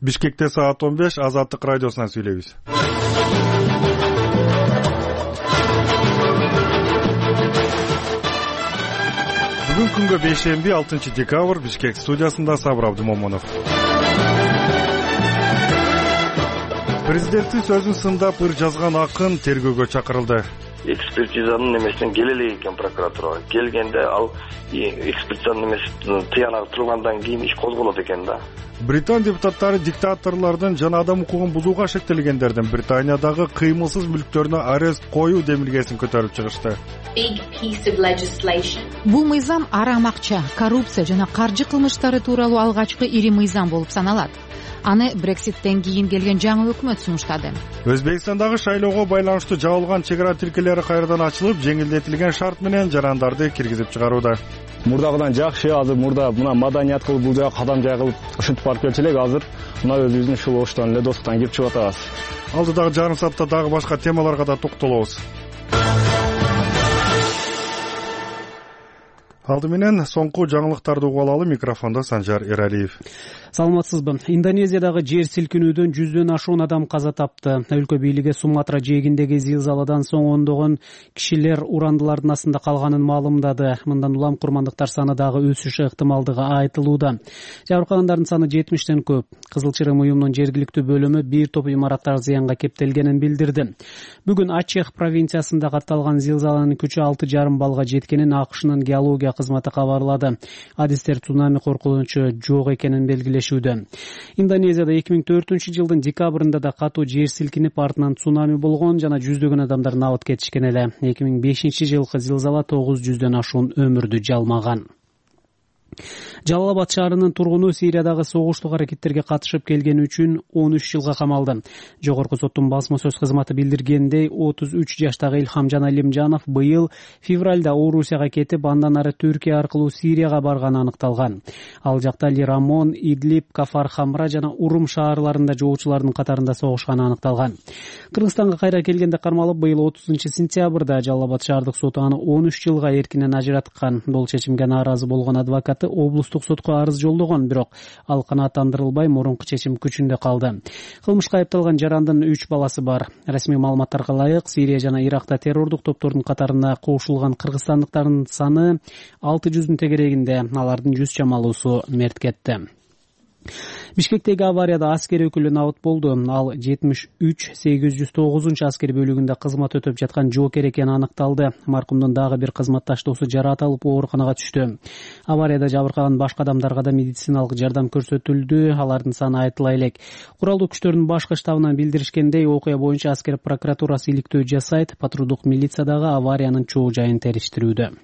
Бишкекте саат 15 Азаттык радиосунан сүйлөйбүз. Бүгүн күнгө бейшемби 6 декабрь Бишкек студиясында Сабыр Абдымомунов. Президенттин сөзүн сындап ыр жазган акын тергөөгө чакырылды. Экспертизанын немесинен келе элек экен прокуратурага. Келгенде ал экспертизанын немесин тыянагы тургандан кийин иш козголот экен да. Британ депутаттары диктаторлордун жана адам укугун бузууга шектелгендердин Британиядагы кыймылсыз мүлктөрүнө арест коюу демилгесин көтөрүп чыгышты. Бул мыйзам арам акча, коррупция жана каржы кылмыштары тууралуу алгачкы ири мыйзам болуп саналат. Аны Брекситтен кийин келген жаңы өкмөт сунуштады. Өзбекстандагы шайлоого байланыштуу жабылган чек ара тилкелери кайрадан ачылып, жеңилдетилген шарт менен жарандарды киргизип чыгарууда. Мурдагыдан жакшы, азыр мурда мына маданият кылып бул жака кадам жайгылып ушинтип барып келчү элек, азыр мына өзүбүздүн ушул оштон эле достуктан кирип чыгып атабыз. Алдыдагы жарым саатта дагы башка темаларга да токтолобуз. Алды менен соңку жаңылыктарды угуп алалы. Микрофондо Санжар Эралиев. Саламатсызбы? Индонезиядагы жер силкинүүдөн 100дөн ашуун адам каза тапты. Өлкө бийлиги Суматра жээгиндеги зилзаладан соң ондогон кишилер урандылардын астында калганын маалымдады. Мындан улам курмандыктар саны дагы өсүшү ыктымалдыгы айтылууда. Жабыркагандардын саны 70тен көп. Кызыл Чырым уюмунун жергиликтүү бөлүмү бир топ имараттар зыянга кептелгенин билдирди. Бүгүн Ачех провинциясында катталган зилзаланын күчү 6,5 баллга жеткенин АКШнын геология кызматы кабарлады. Адистер цунами коркунучу жок экенин белгилешүүдө. Индонезияда 2004-жылдын декабрында да катуу жер силкинип, артынан цунами болгон жана жүздөгөн адамдар набыт кетишкен эле. 2005-жылкы зилзала 900дөн ашуун өмүрдү жалмаган. Жалалабад шаарынын тургуну Сириядагы согуштук аракеттерге катышып келгени үчүн 13 жылга камалды. Жогорку соттун басма сөз кызматы билдиргендей, 33 жаштагы Илхамжан Алимжанов быйыл февралда Орусияга кетип, андан ары Түркия аркылуу Сирияга барганы аныкталган. Ал жакта Лирамон, Идлиб, Кафар Хамра жана Урум шаарларында жоочулардын катарында согушканы аныкталган. Кыргызстанга кайра келгенде кармалып, быйыл 30-сентябрда Жалалабад шаардык соту аны 13 жылга эркинен ажыраткан. Бул чечимге нааразы болгон адвокаты облустук сотко арыз жолдогон, бирок ал канааттандырылбай, мурунку чечим күчүндө калды. Кылмышка айыпталган жарандын 3 баласы бар. Расмий маалыматтарга ылайык, Сирия жана Иракта террордук топтордун катарына кошулган кыргызстандыктардын саны 600дүн тегерегинде, алардын 100 чамалуусу мерт кетти. Бишкектеги аварияда аскер өкүлү набыт болду. Ал 73-809 аскер бөлүгүндө кызмат өтөп жаткан жоокер экени аныкталды. Маркумдун дагы бир кызматташтоосу жараат алып ооруканага түштү. Аварияда жабыркаган башка адамдарга да медициналык жардам көрсөтүлдү. Алардын саны айтыла элек. Куралдуу күчтөрдүн башкы штабынан билдиришкендей, окуя боюнча аскер прокуратурасы иликтөө жасайт, патрулдук милиция дагы авариянын чоо жайын териштирүүдө.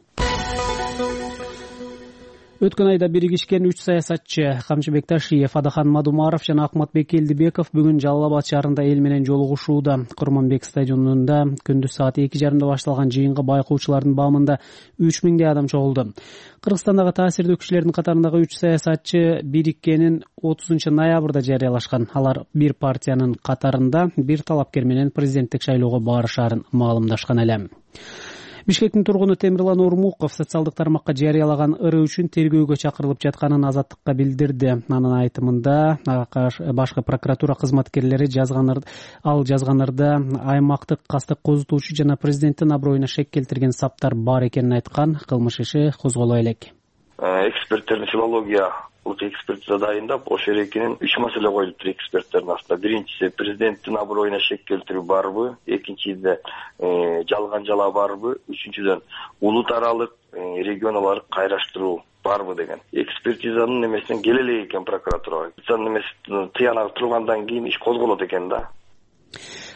Өткөн айда биригишкен 3 саясатчы Камчыбек Ташиев, Адахан Мадумаров жана Акматбек Элдибеков бүгүн Жалалабад шаарында эл менен жолугушууда. Курманбек стадионунда күндүз саат 2:30 башталган жыйынга байкоочулардын баамында 3000 адам чогулду. Кыргызстандагы таасирдүү кишилердин катарындагы 3 саясатчы бириккенин 30 ноябрда жарыялашкан. Алар бир партиянын катарында бир талапкер менен президенттик шайлоого барышаарын маалымдашкан эле. Бишкектин тургуну Темирлан Ормуков социалдык тармакка жарыялаган ыры үчүн тергөөгө чакырылып жатканын Азаттыкка билдирди. Анын айтымында, башкы прокуратура кызматкерлери жазганырда аймактык кастык козутуучу жана президенттин аброюна шек келтирген саптар бар экенин айткан. Кылмыш иши козголо элек. Эксперттердин филологиялык экспертиза дайындап, ошол эрекинен 3 маселе коюлуптур эксперттердин астында. Биринчиси, президенттин аброюна шек келтирүү барбы? Экинчиде, жалган жала барбы? Үчүнчүдөн, улут аралык, регионалык кайраштыруу барбы деген. Экспертизанын немесинен келе элек экен прокуратурага. Немесин тыянагы тургандан кийин иш козголот экен да.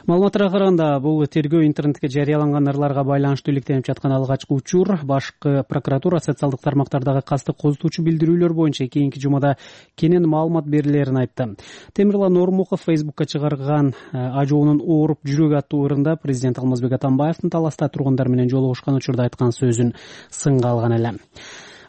Маалыматтарга караганда, бул тергөө интернетке жарыяланган ырларга байланыштуу иликтенип жаткан алгачкы учур. Башкы прокуратура социалдык тармактардагы кастык козутуучу билдирүүлөр боюнча кийинки жумада кенен маалымат берилерин айтты. Темирлан Ормуков Фейсбукка чыгарган ажоонун ооруп жүрөгү аттуу ырында президент Алмазбек Атамбаевдин таласта тургундар менен жолугушкан учурда айткан сөзүн сынга алган эле.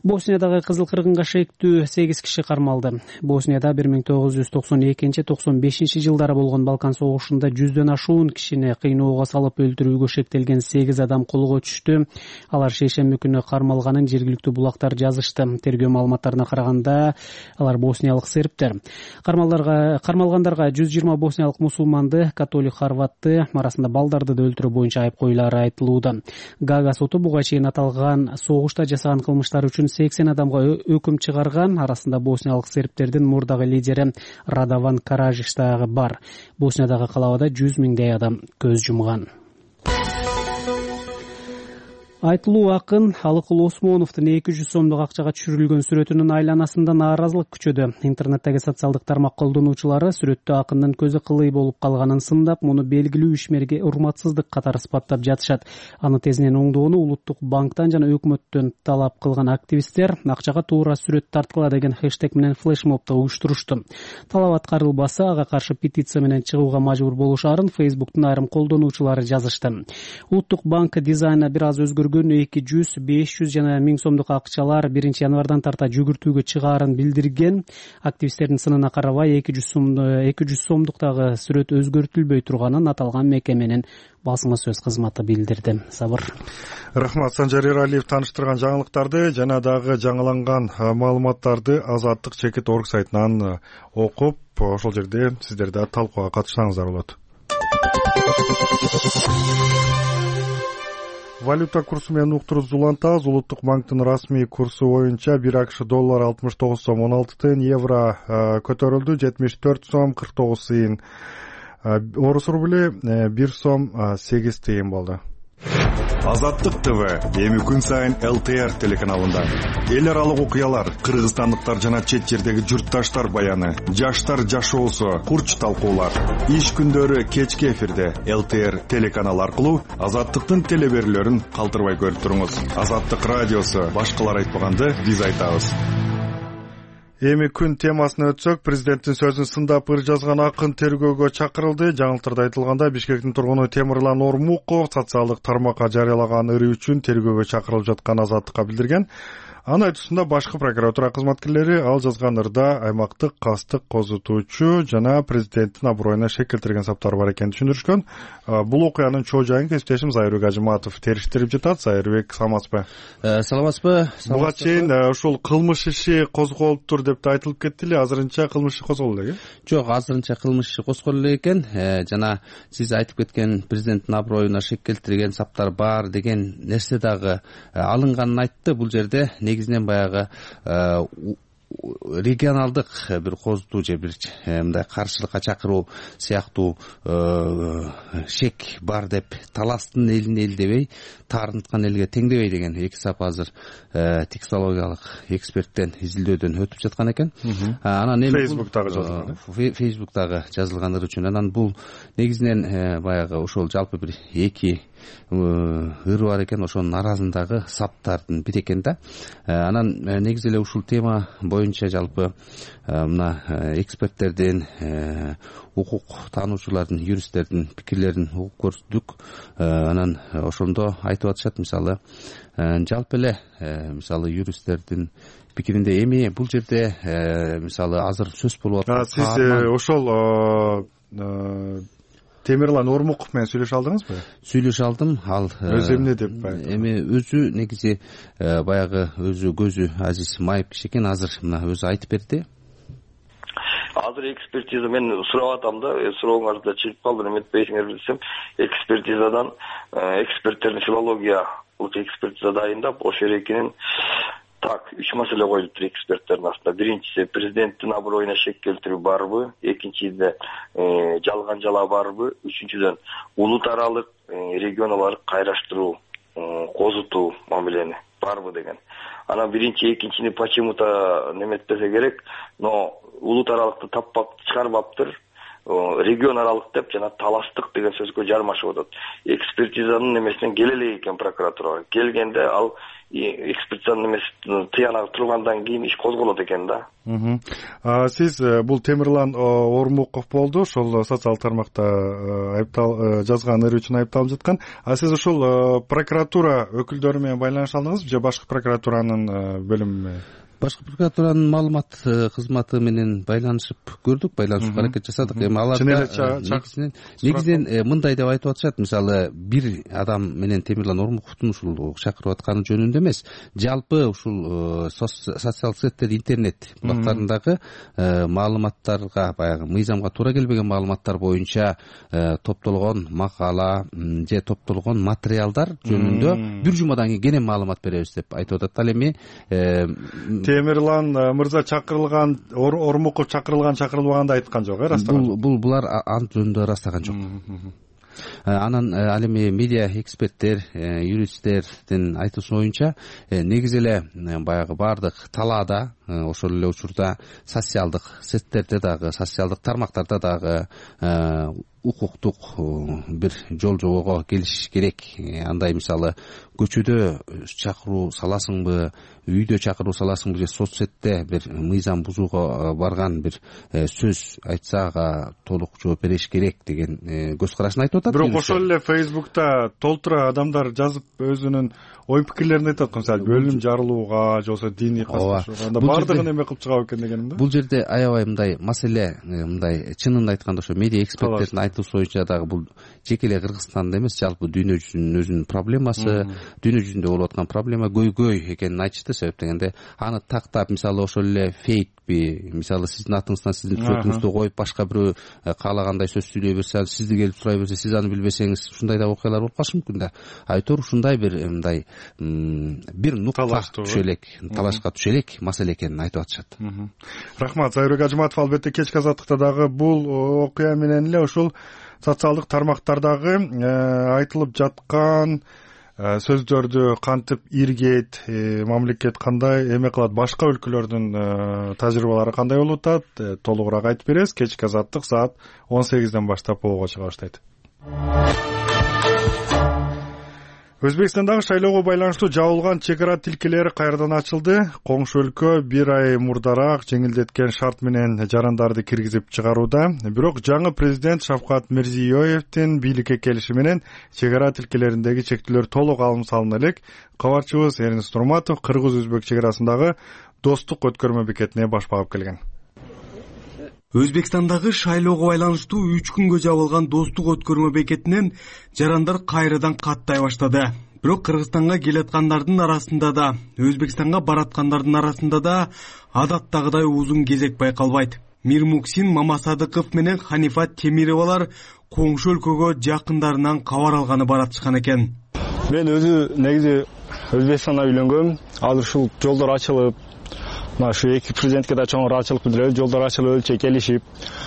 Босниядағы Кызыл кыргынга шектүү 8 киши кармалды. Боснияда 1992-95 жылдары болгон Балкан согушунда 100дөн ашуун кишини кыйноого салып өлтүрүүгө шектелген 8 адам колго түштү. Алар шейшемби күнү кармалганын жергиликтүү булактар жазышты. Тергөө маалыматтарына караганда, алар босниялык сербтер. Кармалгандарга 120 босниялык мусулманды, католик хорватты, арасында балдарды да өлтүрүү боюнча айып коюлары айтылууда. Гага соту буга чейин аталган согушта жасаган кылмыштар үчүн 80 адамга өкүм чыгарган. Арасында босниялык сербтердин мурдагы лидери Радован Каражиш дагы бар. Босниядагы калабада 100 миңдей адам көз жумган. Айтылуу акын Алыкул Осмоновдун 200 сомдук акчага түшүрүлгөн сүрөтүнүн айланасында нааразылык күчөдү. Интернеттеги социалдык тармак колдонуучулары сүрөттө акындын көзү кылый болуп калганын сындап, муну белгилүү ишмерге урматсыздык катары сыпаттап жатышат. Аны тезинен оңдоону Улуттук банктан жана өкмөттөн талап кылган активисттер акчага туура сүрөт тарткыла деген хэштег менен флешмобду уюштурушту. Талап аткарылбаса, ага каршы петиция менен чыгууга мажбур болушарын Facebook'тун айрым колдонуучулары жазышты. Улуттук банк дизайна бир аз өзгөргөн 200, 500 жана 1000 сомдук акчалар 1 январдан тарта жүгүртүүгө чыгаарын билдирген. Активисттердин сынына карабай 200 сомдуктагы сүрөт өзгөртүлбөй турганын аталган мекеменин басма сөз кызматы билдирди. Сабыр. Рахмат. Санжар Эралиев тааныштырган жаңылыктарды жана дагы жаңыланган маалыматтарды Азаттык чекит орг сайтынан окуп, ошол жерде сиздер да талкууга катышсаңыздар болот. Валюта курсу менен уктуруп улантабыз. Улуттук банктын расмий курсу боюнча 1 акш доллар 69 сом 16 тыйын, евро көтөрүлдү 74 сом 49 тыйын. Орус рубли 1 сом 8 тыйын болду. Азаттык ТВ эми күн сайын ЛТР телеканалында эл аралык окуялар, кыргызстандыктар жана чет жердеги журтташтар баяны, жаштар жашоосу, курч талкуулар. Иш күндөрү кечки эфирде ЛТР телеканалы аркылуу Азаттыктын телеберүүлөрүн калтырбай көрүп туруңуз. Азаттык радиосу, башкалар айтпаганды биз айтабыз. Эми күн темасына өтсөк, президенттин сөзүн сындап ыр жазган акын тергөөгө чакырылды. Жаңылыктарда айтылганда, Бишкектин тургуну Темирлан Ормуков социалдык тармакка жарыялаган ыры үчүн тергөөгө чакырылып жаткан Азаттыкка билдирген. Анын айтуусунда башкы прокуратура кызматкерлери ал жазган ырда аймактык кастык козутуучу жана президенттин аброюна шек келтирген саптар бар экенин түшүндүрүшкөн. Бул окуянын чоо жайын кесиптешим Зайырбек Ажыматов териштирип жатат. Зайырбек, саламатсызбы? Саламатсызбы? Буга чейин ушул кылмыш иши козголуптур деп айтылып кетти эле. Азырынча кылмыш иши козголду элеби? Жок, азырынча кылмыш иши козголду эле экен. Жана сиз айтып кеткен президенттин аброюна шек келтирген саптар бар деген нерсе дагы алынганын айтты. Бул жерде негизинен баягы регионалдык бир козутуу же бир мындай каршылыкка чакыруу сыяктуу шек бар деп таластын элин эл дебей, таарынткан элге теңдебей деген 2 сап азыр текстологиялык эксперттен изилдөөдөн өтүп жаткан экен. Анан эми Facebook'тагы жазылган. Facebook'тагы жазылгандар үчүн анан бул негизинен баягы ошол жалпы бир 2 ыры бар экен, ошонун арасындагы саптардын бири экен да. Анан негизи эле ушул тема боюнча жалпы мына эксперттердин, укук таануучулардын, юристтердин пикирлерин угуп көрдүк. Анан ошондо айтып атышат, мисалы жалпы эле мисалы юристтердин пикиринде эми бул жерде мисалы азыр сөз болуп аткан. Сиз ошол Темирлан Ормуков менен сүйлөшө алдыңызбы? Сүйлөшө алдым. Ал өзү эмне деп эми өзү негизи баягы өзү көзү азиз майып киши экен. Азыр мына өзү айтып берди. Азыр экспертиза мен сурап атам да, сурооңузда чыгып калды, эметпейсиңер десем, экспертизадан эксперттердин филологиялык экспертиза дайындап, ошо эрекинин 3 маселе коюлуптур эксперттердин астында. Биринчиси президенттин аброюна шек келтирүү барбы, экинчиде жалган жала барбы, үчүнчүдөн улут аралык регионалык кайраштыруу козутуу мамилени барбы деген. Анан биринчи, экинчини почему-то неметпесе керек, но улут аралыкты таппап чыгарбаптыр. регион аралык деп жана талаштык деген сөзгө жармашып атат. Экспертизанын немесинен келе элек экен прокуратурага. Келгенде ал экспертизанын немеси тыянагы тургандан кийин иш козголот экен да. Сиз бул Темирлан Ормуков болду, ошол социалдык тармакта жазган ыры үчүн айыпталып жаткан. Сиз ушул прокуратура өкүлдөрү менен байланыша алдыңызбы же башкы прокуратуранын бөлүмү? Башкы прокуратуранын маалымат кызматы менен байланышып көрдүк, байланышууга аракет жасадык. Эми аларда негизинен мындай деп айтып атышат. Мисалы, бир адам менен Темирлан Ормуковдун ушул чакырып атканы жөнүндө эмес, жалпы ушул социалдык сеттер, интернет булактарындагы маалыматтарга, баягы мыйзамга туура келбеген маалыматтар боюнча топтолгон макала же топтолгон материалдар жөнүндө бир жумадан кийин кенен маалымат беребиз деп айтып атат. Ал эми Темирлан мырза чакырылган, Ормуков чакырылбаганды айткан жок, ырастаган. Булар ант жөнүндө ырастаган жок. Анан ал эми медиа эксперттер, юристтердин айтуусу боюнча негизи эле баягы баардык талаада, ошол эле учурда социалдык сеттерде дагы, социалдык тармактарда дагы укуктук бир жол жобого келиш керек. Андай мисалы көчөдө чакыруу саласыңбы, үйдө чакыруу саласыңбы же соц сетте бир мыйзам бузууга барган бир сөз айтса ага толук жооп бериш керек деген көз карашын айтып атат. Бирок ошол эле Facebook'та толтура адамдар жазып өзүнүн ой пикирлерин айтат. Мисалы бөлүм жарылууга же болбосо диний катташууга, анда бардыгын эме кылып чыгабы экен дегеним да. Бул жерде аябай мындай маселе, мындай чынын айтканда ошо медиа эксперттердин айтуусу боюнча дагы бул жеке эле Кыргызстанда эмес, жалпы дүйнө жүзүнүн өзүнүн проблемасы, дүйнө жүзүндө болуп аткан проблема көйгөй экенин айтышты. Себеп дегенде аны тактап, мисалы ошол эле фейкпи, мисалы сиздин атыңыздан сиздин сүрөтүңүздү коюп башка бирөө каалагандай сөз сүйлөй берсе, сизди келип сурай берсе, сиз аны билбесеңиз, ушундай да окуялар болуп калышы мүмкүн да. Айтор ушундай бир мындай бир нукка түшө элек, талашка түшө элек маселе экенин айтып атышат. Рахмат, Зайырбек Ажыматов. Албетте кечки азаттыкта дагы бул окуя менен эле ушул социалдык тармактардагы айтылып жаткан сөздөрдү кантип иргейт, мамлекет кандай эме кылат, башка өлкөлөрдүн тажрыйбалары кандай болуп атат, толугураак айтып беребиз. Кечки азаттык саат 18ден баштап болууга чыга баштайт. Өзбекстандагы шайлоого байланыштуу жабылган чек ара тилкелери кайрадан ачылды. Коңшу өлкө бир ай мурдараак жеңилдеткен шарт менен жарандарды киргизип чыгарууда. Бирок жаңы президент Шавкат Мирзиёевдин бийликке келиши менен чек ара тилкелериндеги чектөөлөр толук алым салына элек. Кабарчыбыз Эрнест Турматов кыргыз-өзбек чек арасындагы достук өткөрмө бекетине баш багып келген. Өзбекстандагы шайлоого байланыштуу 3 күнгө жабылган достук өткөрмө бекетинен жарандар кайрадан каттай баштады. Бирок Кыргызстанга келаткандардын арасында да, Өзбекстанга бараткандардын арасында да адаттагыдай узун кезек байкалбайт. Мирмуксин Мамасадыков менен Ханифа Темировалар коңшу өлкөгө жакындарынан кабар алганы баратышкан экен. Мен өзү негизи Өзбекстанда үйлөнгөм. Азыр ушул жолдор ачылып, ушу эки президентке да чоң ыраазычылык билдиребиз. Жолдор ачылып, өлчө келишип,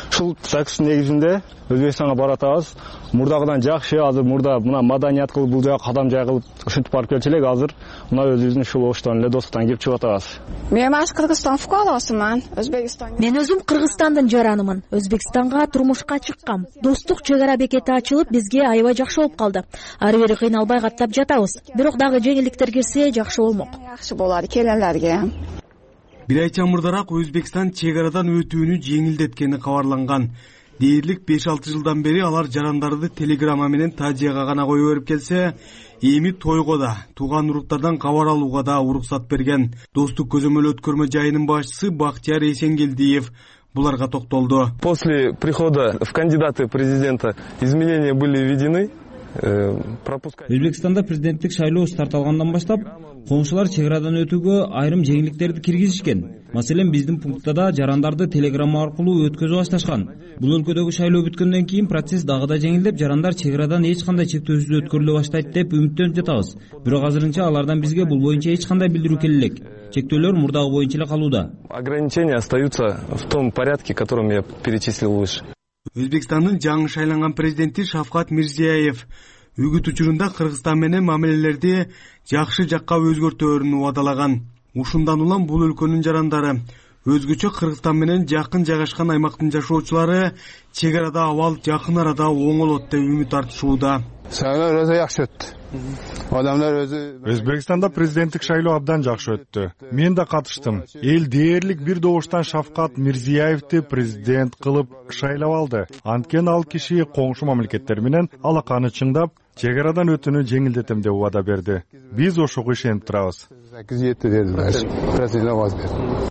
ушул такстын негизинде Өзбекстанга баратабыз. Мурдагыдан жакшы, азыр мурда мына маданият кылып бул жака кадам жайгылып ушинтип барып келчү элек. Азыр мына өзүбүздүн ушул оштон эле достуктан кирип чыгып атабыз. Мен Кыргызстан фукарасымын. Мен өзүм Кыргызстандын жаранымын. Өзбекстанга турмушка чыккам. Достук чек ара бекети ачылып, бизге аябай жакшы болуп калды. Ары бери кыйналбай каттап жатабыз. Бирок дагы жеңилдиктер кирсе жакшы болмок. Жакшы болот келелерге. Бир айча мурдараак Өзбекстан чек арадан өтүүнү жеңилдеткени кабарланган. Дээрлик 5-6 жылдан бери алар жарандарды телеграмма менен тажияга гана коюп берип келсе, эми тойго да, тууган уруктардан кабар алууга да уруксат берген. Достук көзөмөл өткөрмө жайынын башчысы Бактияр Эсенгелдиев буларга токтолду. После прихода в кандидаты президента изменения были введены. Өзбекстанда президенттик шайлоо старт алгандан баштап коңшулар чек арадан өтүүгө айрым жеңилдиктерди киргизишкен. Маселен, биздин пунктта жарандарды телеграмма аркылуу өткөзүп башташкан. Бул өлкөдөгү шайлоо бүткөндөн кийин процесс дагы да жеңилдеп, жарандар чек арадан эч кандай чектөөсүз өткөрүлө баштайт деп үмүттөнүп жатабыз. Бирок азырынча алардан бизге бул боюнча эч кандай билдирүү келе элек. Чектөөлөр мурдагы боюнча эле калууда. Ограничения остаются в том порядке, которым я перечислил выше. Өзбекстандын жаңы шайланган президенти Шавкат Мирзиёев үгүт учурунда Кыргызстан менен мамилелерди жакшы жакка өзгөртөөрүн убадалаган. Ушундан улам бул өлкөнүн жарандары Өзгөчө Кыргызстан менен жакын жайгашкан аймактын жашоочулары чек арада абал жакын арада оңолот деп үмүт артышууда. Шайлоо өзү жакшы өттү. Адамдар өзү Өзбекстанда президенттик шайлоо абдан жакшы өттү. Мен да катыштым. Эл дээрлик бир добуштан Шавкат Мирзиеевди президент кылып шайлап алды. Анткени ал киши коңшу мамлекеттер менен алаканы чыңдап, чек арадан өтүүнү жеңилдетем деп убада берди. Биз ошого ишенип турабыз.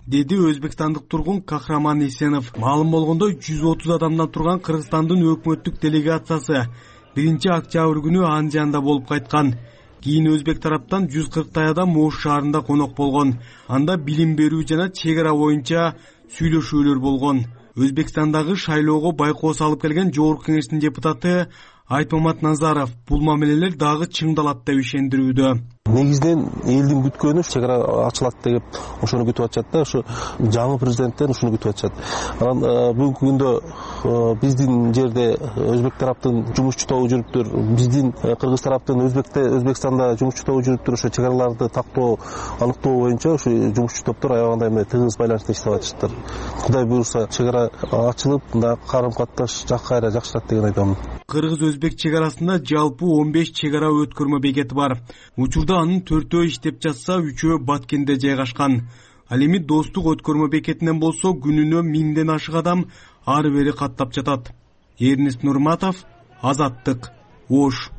Деди өзбекстандык тургун Кахраман Исенов. Маалым болгондо 130 адамдан турган Кыргызстандын өкмөттүк делегациясы 1-октябрь күнү Анжанда болуп кайткан. Кийин өзбек тараптан 140 адам Ош шаарында конок болгон. Анда билим берүү жана чек ара боюнча сүйлөшүүлөр болгон. Өзбекстандагы шайлоого байкоо салып келген Жогорку Кеңештин депутаты Айтмамат Назаров бул мамилелер дагы чыңдалат деп ишендирүүдө. Негизинен элдин күткөнү чек ара ачылат деп ошону күтүп атышат да, ошо жаңы президенттен ушуну күтүп атышат. Анан бүгүнкү күндө биздин жерде өзбек тараптын жумушчу тобу жүрүптүр, биздин кыргыз тараптын Өзбекстанда жумушчу тобу жүрүптүр. Ошо чек араларды тактоо, аныктоо боюнча ошо жумушчу топтор аябагандай мындай тыгыз байланышта иштеп атышыптыр. Кудай буюрса чек ара ачылып, мындай карым-катташ кайра жакшырат деген ойдомун. Кыргыз-өзбек чек арасында жалпы 15 чек ара өткөрмө бекети бар. Учурда анын 4-өө иштеп жатса, 3-өө Баткенде жайгашкан. Ал эми достук өткөрмө бекетинен болсо күнүнө 1000ден ашык адам ары бери каттап жатат. Эрнест Нурматов, Азаттык, Ош.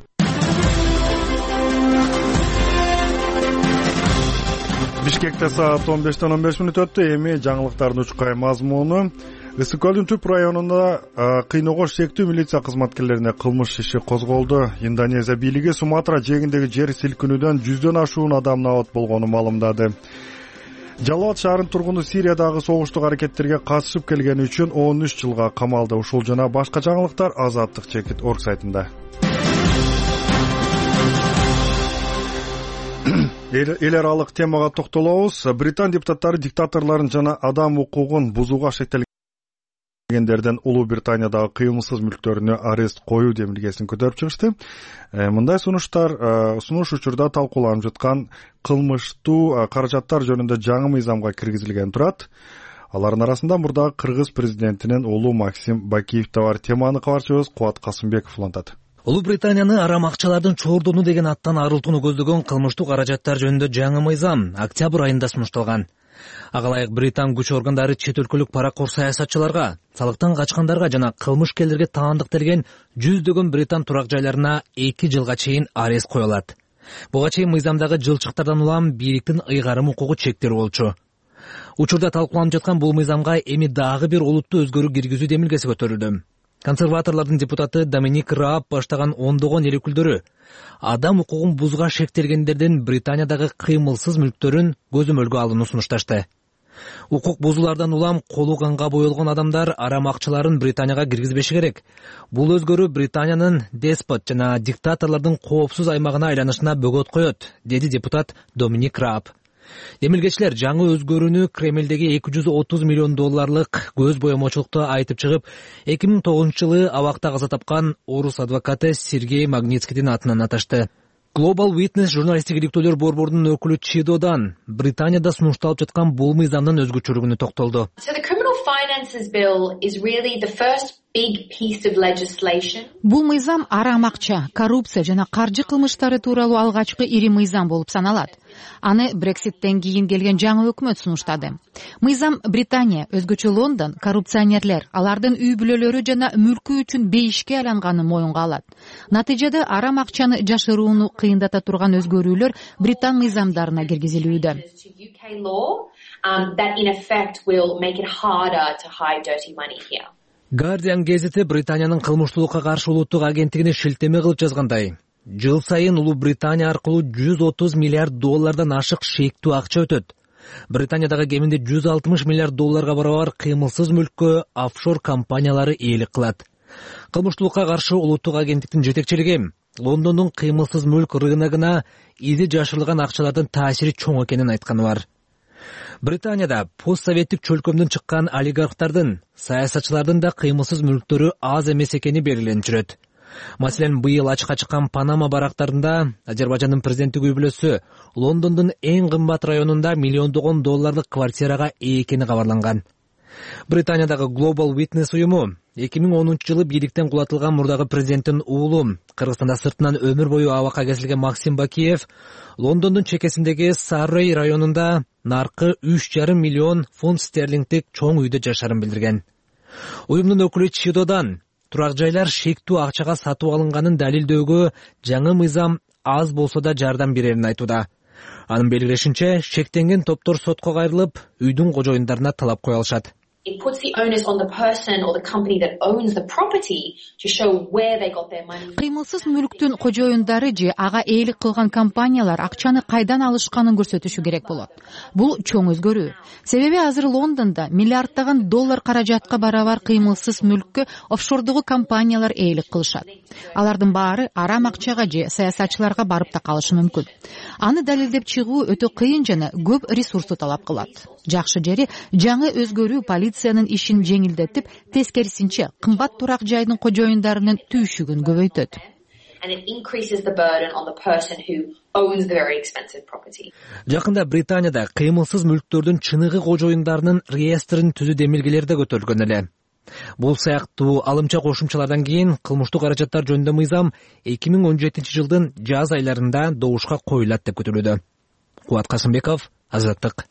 Бишкекте саат 15:15 өттү. Эми жаңылыктардын учкай мазмуну. Ысык көлдүн түп районунда кыйноого шектүү милиция кызматкерлерине кылмыш иши козголду. Индонезия бийлиги Суматра жээгиндеги жер силкинүүдөн 100дөн ашуун адам набат болгонун маалымдады. Жалалабад шаарынын тургуну Сириядагы согуштук аракеттерге катышып келгени үчүн 13 жылга камалды. Ушул жана башка жаңылыктар Азаттык чекит орг сайтында. Эл аралык темага токтолобуз. Британ депутаттары диктаторлордун жана адам укугун бузууга шектелгендерден Улуу Британиядагы кыймылсыз мүлктөрүнө арест коюу демилгесин көтөрүп чыгышты. Мындай сунуш учурда талкууланып жаткан кылмыштуу каражаттар жөнүндө жаңы мыйзамга киргизилген турат. Алардын арасында мурдагы кыргыз президентинин уулу Максим Бакиев да бар. Теманы кабарчыбыз Кубат Касымбеков улантат. Улуу Британияны арам акчалардын чоордону деген аттан арылтууну көздөгөн кылмыштуу каражаттар жөнүндө жаңы мыйзам октябрь айында сунушталган. Ага ылайык британ күч органдары чет өлкөлүк паракор саясатчыларга, салыктан качкандарга жана кылмышкерлерге таандыктелген 100дөгөн британ турак жайларына 2 жылга чейин арест кое алат. Буга чейин мыйзамдагы жылчыктардан улам бийликтин ыйгарым укугу чектелүү болчу. Учурда талкууланып жаткан бул мыйзамга эми дагы бир олуттуу өзгөрүү киргизүү демилгеси көтөрүлдү. Консерваторлордун депутаты Доминик Рааб баштаган ондогон эл өкүлдөрү адам укугун бузууга шектелгендердин Британиядагы кыймылсыз мүлктөрүн көзөмөлгө алууну сунушташты. Укук бузуулардан улам колу канга боелгон адамдар арам акчаларын Британияга киргизбеши керек. Бул өзгөрүү Британиянын деспот жана диктаторлордун коопсуз аймагына айланышына бөгөт коет, деди депутат Доминик Рааб. Демилгечилер жаңы өзгөрүүнү Кремлдеги $230 миллион көз боемочулукту айтып чыгып, 2009-жылы абакта каза тапкан орус адвокаты Сергей Магнитскийдин атынан аташты. Global Witness журналисттик иликтөөлөр борборунун өкүлү Чидодан Британияда сунушталып жаткан бул мыйзамдын өзгөчөлүгүнө токтолду. Бул мыйзам арам акча, коррупция жана каржы кылмыштары тууралуу алгачкы ири мыйзам болуп саналат. Аны Брекситтен кийин келген жаңы өкмөт сунуштады. Мыйзам Британия, өзгөчө Лондон, коррупционерлер, алардын үй бүлөлөрү жана мүлкү үчүн бейишке айланганын моюнга алат. Натыйжада арам акчаны жашырууну кыйындата турган өзгөрүүлөр Британ мыйзамдарына киргизилүүдө. Guardian гезити Британиянын кылмыштуулукка каршы улуттук агенттигине шилтеме кылып жазгандай, жыл сайын Улуу Британия аркылуу $130 миллиард ашык шектүү акча өтөт. Британиядагы кеминде $160 миллиард барабар кыймылсыз мүлккө офшор компаниялары ээлик кылат. Кылмыштуулукка каршы улуттук агенттиктин жетекчилиги Лондондун кыймылсыз мүлк рыногуна изи жашырылган акчалардын таасири чоң экенин айтканы бар. Британияда постсоветтик чөлкөмдөн чыккан олигархтардын, саясатчылардын да кыймылсыз мүлктөрү аз эмес экени белгиленип жүрөт. Маселен, быйыл ачыкка чыккан Панама барактарында Азербайжандын президенттик үй бүлөсү Лондондун эң кымбат районунда миллиондогон долларлык квартирага ээ экени кабарланган. Британиядагы Global Witness уюму 2010-жылы бийликтен кулатылган мурдагы президенттин уулу, Кыргызстанда сыртынан өмүр бою абакка кесилген Максим Бакиев Лондондун чекесиндеги Саррей районунда наркы 3,5 миллион фунт стерлингдик чоң үйдө жашаарын билдирген. Уюмдун өкүлү Чидодан турак жайлар шектүү акчага сатып алынганын далилдөөгө жаңы мыйзам аз болсо да жардам берерин айтууда. Анын белгилешинче, шектенген топтор сотко кайрылып, үйдүн кожоюндарына талап кое алышат. It puts the onus on the person or the company that owns the property to show where they got their money. Кыймылсыз мүлктүн кожоюндары же ага ээлик кылган компаниялар акчаны кайдан алышканын көрсөтүшү керек болот. Бул чоң өзгөрүү. Себеби азыр Лондондо миллиарддаган доллар каражатка барабар кыймылсыз мүлккө офшордогу компаниялар ээлик кылышат. Алардын баары арам акчага же саясатчыларга барып да калышы мүмкүн. Аны далилдеп чыгуу өтө кыйын жана көп ресурсту талап кылат. Жакшы жери жаңы өзгөрүү полициянын ишин жеңилдетип, тескерисинче кымбат турак жайдын кожоюндарынын түйшүгүн көбөйтөт. Жакында Британияда кыймылсыз мүлктөрдүн чыныгы кожоюндарынын реестрин түзүү демилгелери да көтөрүлгөн эле. Бул сыяктуу алымча кошумчалардан кийин кылмыштык каражаттар жөнүндө мыйзам 2017 жылдын жаз айларында добушка коюлат деп күтүлүүдө. Кубат Касымбеков, Азаттык.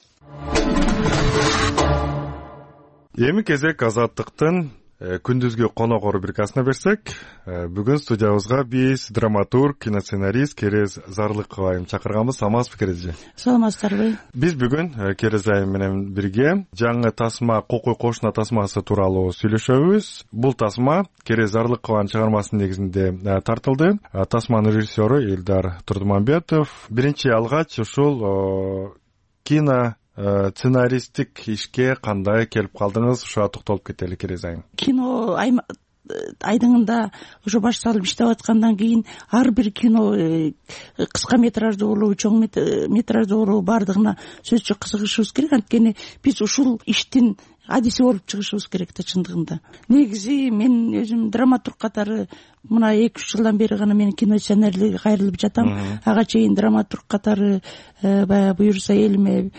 Эми кезек Азаттыктын күндүзгү конок рубрикасына берсек, бүгүн студиябызга биз драматург, киносценарист Керез Зарлыкова чакырганбыз. Саламатсызбы, Керез? Саламатсыздарбы? Биз бүгүн Керез менен бирге жаңы тасма, кокуй кошуна тасмасы тууралуу сүйлөшөбүз. Бул тасма Керез Зарлыкованын чыгармасынын негизинде тартылды. Тасманын режиссеру Элдар Турдуманбетов. Биринчи алгач ушул кино сценаристтик ишке кандай келип калдыңыз? Ушуга токтолуп кетели, Керез айым. Кино айдыңында уже баш салып иштеп аткандан кийин ар бир кино кыска метраждуу болобу, чоң метраждуу болобу бардыгына сөзсүз кызыгышыбыз керек. Анткени биз ушул иштин адиси болуп чыгышыбыз керек да чындыгында. Негизи мен өзүм драматург катары мына 2-3 жылдан бери гана мен кино сценарийге кайрылып жатам. Ага чейин драматург катары баягы буюрса элиме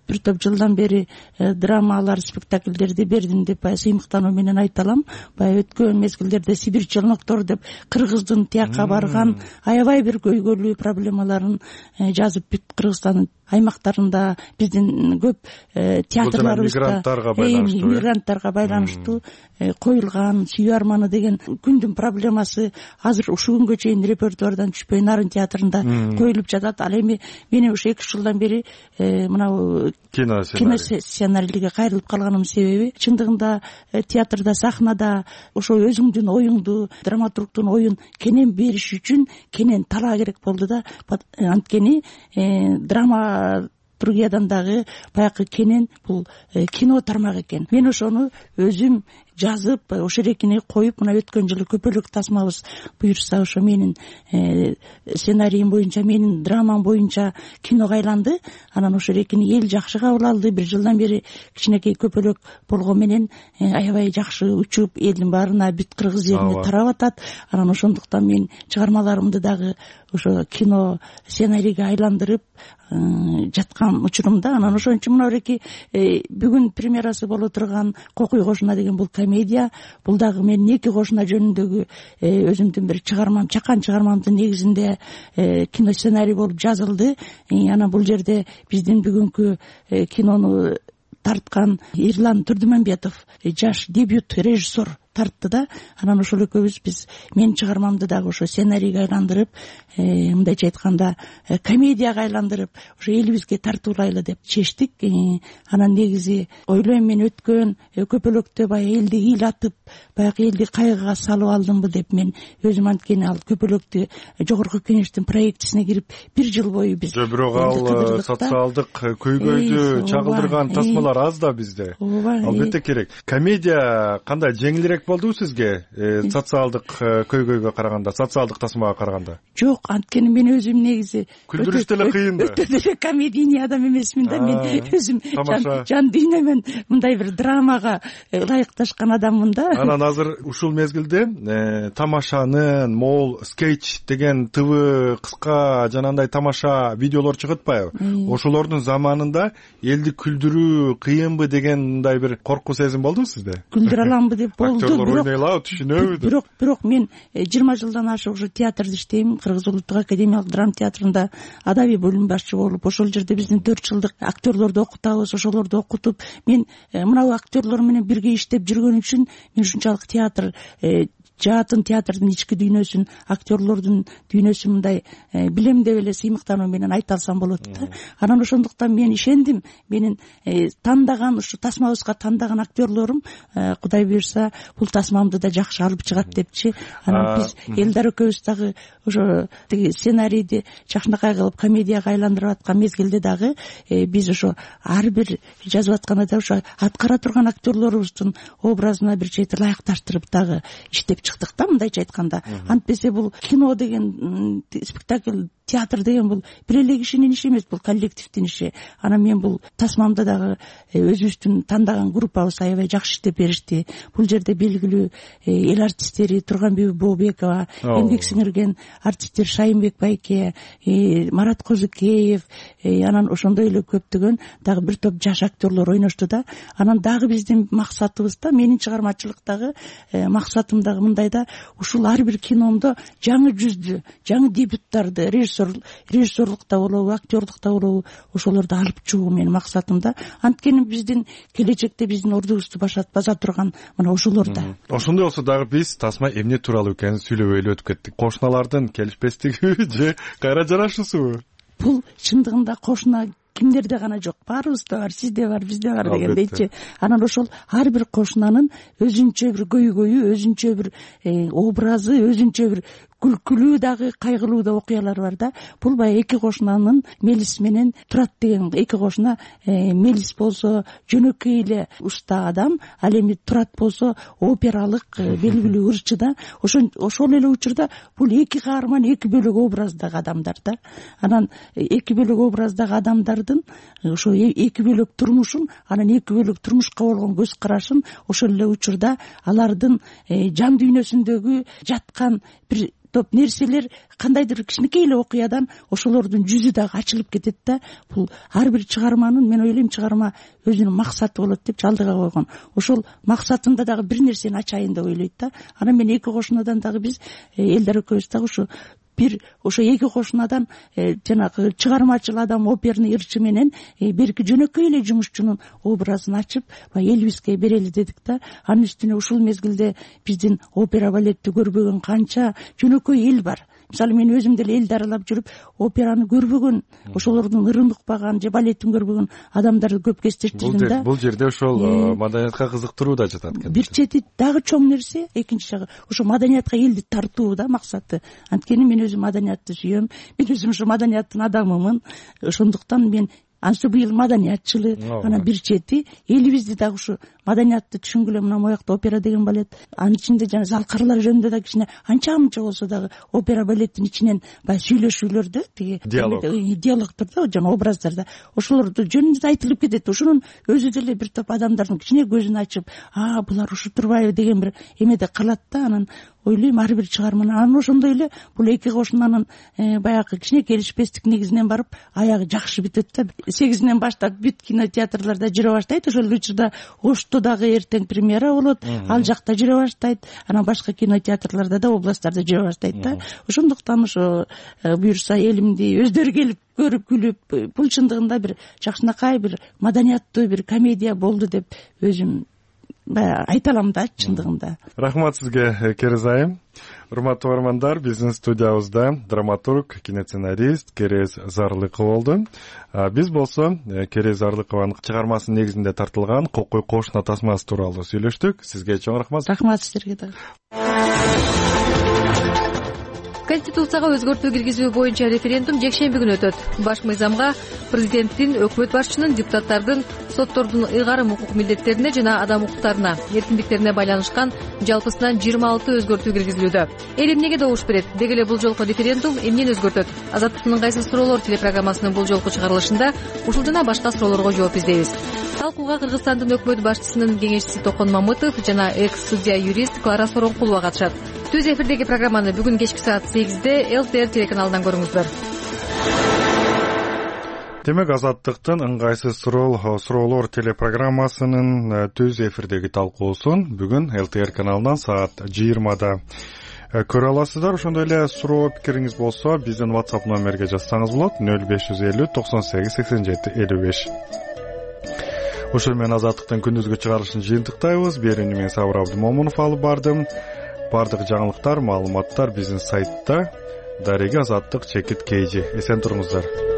бир топ жылдан бери драмалар, спектакльдерди бердим деп сыймыктануу менен айта алам. Баягы өткөн мезгилдерде Сибирь челноктор деп кыргыздын тияка барган аябай бир көйгөйлүү проблемаларын жазып бүт Кыргызстандын аймактарында биздин көп театрларыбызда мигранттарга байланыштуу коюлган Сүйүү арманы деген күндүн проблемасы азыр ушул күнгө чейин репертуардан түшпөй Нарын театрында коюлуп жатат. Ал эми мен ушу 2 жылдан бери мына кино сценарийге кайрылып калганымдын себеби чындыгында театрда, сахнада ошо өзүңдүн оюңду, драматургдун оюн кенен бериш үчүн кенен талаа керек болду да. Анткени драматургиядан дагы баягы кенен бул кино тармак экен. Мен ошону өзүм жазып, ошо эрекини коюп, мына өткөн жылы көпөлөк тасмабыз буюрса ошо менин сценариим боюнча, менин драмам боюнча киного айланды. Анан ошо эрекини эл жакшы кабыл алды. 1 жылдан бери кичинекей көпөлөк болгон менен аябай жакшы учуп, элдин баарына, бүт кыргыз жерине тарап атат. Анан ошондуктан мен чыгармаларымды дагы ошо кино сценарийге айландырып жаткан учурумда. Анан ошон үчүн мына эреки бүгүн премьерасы боло турган Кокуй кошуна деген бул комедия. Бул дагы менин 2 кошуна жөнүндөгү өзүмдүн бир чыгармам, чакан чыгармамдын негизинде кино сценарий болуп жазылды. Анан бул жерде биздин бүгүнкү кинону тарткан Эрлан Турдуманбетов жаш дебют режиссер тартты да. Анан ошол экөөбүз биз менин чыгармамды дагы ошо сценарийге айландырып, мындайча айтканда комедияга айландырып, ошо элибизге тартуулайлы деп чечтик. Анан негизи ойлойм мен өткөн көпөлөктө баягы элди ыйлатып, баягы элди кайгыга салып алдымбы деп мен өзүм, анткени ал көпөлөктү жогорку кеңештин проектисине кирип 1 жыл бою биз бирок ал социалдык көйгөйдү чагылдырган тасмалар аз да бизде. Албетте керек. Комедия кандай жеңилирээк болдубу сизге социалдык көйгөйгө караганда, социалдык тасмага караганда? Жок, анткени мен өзүм негизи күлдүрүш деле кыйын да. Өтө деле комедийный адам эмесмин да. Мен өзүм жан дүйнөмөн мындай бир драмага ылайыкташкан адаммын да. Анан азыр ушул мезгилде тамашанын могул скетч деген ТВ кыска жанагындай тамаша видеолор чыгып атпайбы? Ошолордун заманында элди күлдүрүү кыйынбы деген мындай бир коркуу сезим болдубу сизде? Күлдүрө аламбы деп болду. Актерлор ойной алабы, түшүнөбү? Бирок мен 20 жылдан ашык уже театрда иштейм. Кыргыз улуттук академиялык драма театрында адабий бөлүм башчы болуп, ошол жерде биздин 4 жылдык актерлорду окутабыз. Ошолорду окутуп, мен мынау актерлор менен бирге иштеп жүргөн үчүн мен ушунчалык театр жаатын театрдын ички дүйнөсүн, актерлордун дүйнөсүн мындай билем деп эле сыймыктануу менен айта алсам болот да. Анан ошондуктан мен ишендим, менин тандаган ушу тасмабызга тандаган актерлорум Кудай буйрса бул тасмамды да жакшы алып чыгат депчи. Анан биз Элдар экөөбүз дагы ошо сценарийди жакшынакай кылып комедияга айландырып аткан мезгилде дагы биз ошо ар бир жазып атканда ошо аткара турган актерлорубуздун образына бир чети ылайыкташтырып дагы иштеп чыктык да, мындайча айтканда. Антпесе бул кино деген спектакль, театр деген бул бир эле кишинин иши эмес, бул коллективдин иши. Анан мен бул тасмамда дагы өзүбүздүн тандаган группабыз аябай жакшы иштеп беришти. Бул жерде белгилүү эл артисттери Турганбүбү Бообекова, эмгек сиңирген артисттер Шайынбек Байке, Марат Козукеев, анан ошондой эле көптөгөн дагы бир топ жаш актерлор ойношту да. Анан дагы биздин максатыбыз да, менин чыгармачылыктагы максатым дагы мындай да, ушул ар бир киномдо жаңы жүздү, жаңы дебюттарды, режиссерлукта болобу, актерлукта болобу, ошолорду алып чыгуу менин максатым да. Анткени биздин келечекте биздин ордубузду баса турган мына ошолор да. Ошондой болсо дагы биз тасма эмне тууралуу экенин сүйлөбөй эле өтүп кеттик. Кошуналардын келишпестиги же кайра жарашуусубу? Бул чындыгында кошуна кимдерде гана жок, баарыбызда бар, сизде бар, бизде бар дегендейчи. Анан ошол ар бир кошунанын өзүнчө бир көйгөйү, өзүнчө бир образы, өзүнчө бир күлкүлүү дагы, кайгылуу да окуялар бар да. Бул баягы эки кошунанын Мелис менен Турат деген эки кошуна. Мелис болсо жөнөкөй эле уста адам, ал эми Турат болсо опералык белгилүү ырчы да. Ошол эле учурда бул эки каарман эки бөлөк образдагы адамдар да. Анан эки бөлөк образдагы адамдардын ошо эки бөлөк турмушун, анан эки бөлөк турмушка болгон көз карашын, ошол эле учурда алардын жан дүйнөсүндөгү жаткан бир топ нерселер, кандайдыр кичинекей эле окуядан ошолордун жүзү дагы ачылып кетет да. Бул ар бир чыгарманын, мен ойлойм, чыгарма өзүнүн максаты болот деп алдыга койгон. Ошол максатында дагы бир нерсени ачайын деп ойлойт да. Анан мен эки кошунадан дагы биз Элдар экөөбүз дагы ошо эки кошунадан жанагы чыгармачыл адам, оперный ырчы менен берки жөнөкөй эле жумушчунун образын ачып, элибизге берели дедик да. Анын үстүнө ушул мезгилде биздин опера балетти көрбөгөн канча жөнөкөй эл бар. Мисалы мен өзүм деле элди аралап жүрүп операны көрбөгөн, ошолордун ырын укпаган же балеттин көрбөгөн адамдарды көп кездештирдим да. Бул жерде ошол маданиятка кызыктыруу да жатат экен. Бир чети дагы чоң нерсе, экинчи жагы ошо маданиятка элди тартуу да максаты. Анткени мен өзүм маданиятты сүйөм, мен өзүм ошо маданияттын адамымын. Ошондуктан мен быйыл маданиятчылы, анан бир чети элибизди дагы ушу маданиятты түшүнгүлө. Мына моякта опера деген балет, анын ичинде жана залкарлар жөнүндө да кичине анча мынча болсо дагы опера балеттин ичинен баягы сүйлөшүүлөрдө тиги диалогдор да, жана образдарда ошолорду жөнүндө айтылып кетет. Ошонун өзү деле бир топ адамдардын кичине көзүн ачып, булар ушу турбайбы деген бир эмеде калат да. Анан ойлойм ар бир чыгарманы, анан ошондой эле бул эки кошунанын баягы кичине келишпестик негизинен барып аягы жакшы бүтөт да. 8-ден баштап бүт кинотеатрларда жүрө баштайт. Ошол учурда Ошто дагы эртең премьера болот, ал жакта жүрө баштайт, анан башка кинотеатрларда да, областтарда жүрө баштайт да. Ошондуктан ошо буйрса элимди өздөрү келип көрүп күлүп, бул чындыгында бир жакшынакай, бир маданияттуу бир комедия болду деп өзүм айта алам да чындыгында. Рахмат сизге, Керез айым. Урматтуу угармандар, биздин студиябызда драматург, киносценарист Керез Зарлыкова болду. Биз болсо Керез Зарлыкованын чыгармасынын негизинде тартылган Кокой кошуна тасмасы тууралуу сүйлөштүк. Сизге чоң рахмат. Рахмат сиздерге дагы. Конституцияга өзгөртүү киргизүү боюнча референдум жекшемби күнү өтөт. Баш мыйзамга президенттин, өкмөт башчынын, депутаттардын, соттордун ыйгарым укук милдеттерине жана адам укуктарына, эркиндиктерине байланышкан жалпысынан 26 өзгөртүү киргизилүүдө. Эл эмнеге добуш берет? Деги эле бул жолку референдум эмнени өзгөртөт? Азаттыктын ыңгайсыз суроолор телепрограммасынын бул жолку чыгарылышында ушул жана башка суроолорго жооп издейбиз. Талкууга Кыргызстандын өкмөт башчысынын кеңешчиси Токон Мамытов жана экс-судья юрист Клара Соронкулова катышат. Түз эфирдеги программаны бүгүн кечки саат 8-де ЛТР телеканалынан көрүңүздөр. Демек, Азаттыктын ыңгайсыз суроолор телепрограммасынын түз эфирдеги талкуусун бүгүн ЛТР каналынан саат 20да көрө аласыздар. Ошондой эле суроо пикириңиз болсо, биздин WhatsApp номерге жазсаңыз болот. 0550 98 87 55. Ошол менен Азаттыктын күндүзгү чыгарылышын жыйынтыктайбыз. Берүүнү мен Сабыр Абдымомунов алып бардым. Бардык жаңылыктар, маалыматтар биздин сайтта. Дареги Азаттык _KG. Эсен туруңуздар.